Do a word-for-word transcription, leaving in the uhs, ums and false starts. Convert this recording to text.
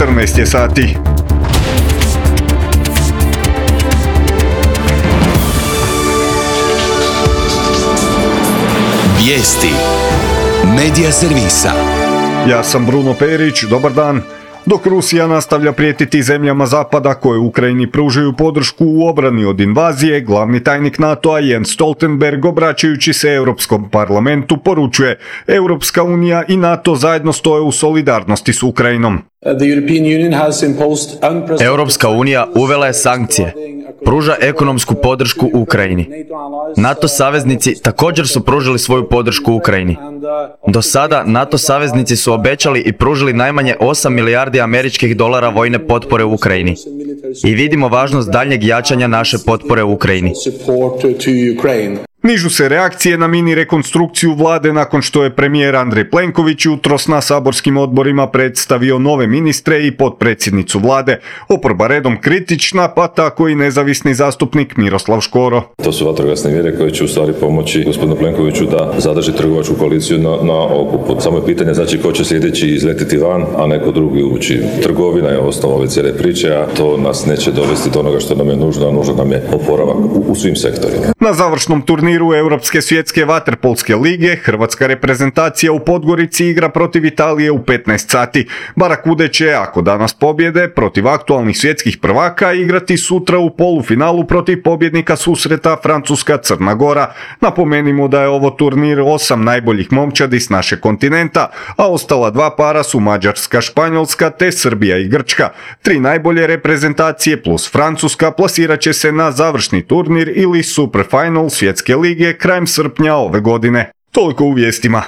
četrnaest je sati. Vijesti Medija servisa. Ja sam Bruno Perić, dobar dan. Dok Rusija nastavlja prijetiti zemljama Zapada koje Ukrajini pružaju podršku u obrani od invazije, glavni tajnik NATO-a Jens Stoltenberg, obraćajući se Europskom parlamentu, poručuje: Europska unija i NATO zajedno stoje u solidarnosti s Ukrajinom. Europska unija uvela je sankcije, pruža ekonomsku podršku Ukrajini. NATO saveznici također su pružili svoju podršku Ukrajini. Do sada NATO saveznici su obećali i pružili najmanje osam milijardi američkih dolara vojne potpore u Ukrajini. I vidimo važnost daljnjeg jačanja naše potpore u Ukrajini. Nižu se reakcije na mini rekonstrukciju vlade nakon što je premijer Andrej Plenković jutros na saborskim odborima predstavio nove ministre i potpredsjednicu vlade. Oporba redom kritična, pa tako i nezavisni zastupnik Miroslav Škoro. To su vatrogasne mjere koje će u stvari pomoći gospodinu Plenkoviću da zadrži trgovačku koaliciju na, na okupu. Samo je pitanje znači ko će sljedeći izletiti van, a neko drugi ući. Trgovina je osnova ove cijele priče, a to nas neće dovesti do onoga što nam je nužno, a nužno nam je oporavak u, u svim sektorima. Na završnom turniru Europske svjetske vaterpolske lige hrvatska reprezentacija u Podgorici igra protiv Italije u petnaest sati. Barakude će, ako danas pobjede, protiv aktualnih svjetskih prvaka igrati sutra u polufinalu protiv pobjednika susreta Francuska-Crna Gora. Napomenimo da je ovo turnir osam najboljih momčadi s našeg kontinenta, a ostala dva para su Mađarska, Španjolska te Srbija i Grčka. Tri najbolje reprezentacije plus Francuska plasirat će se na završni turnir ili Superfinal svjetske lige krajem srpnja ove godine. Toliko u vijestima.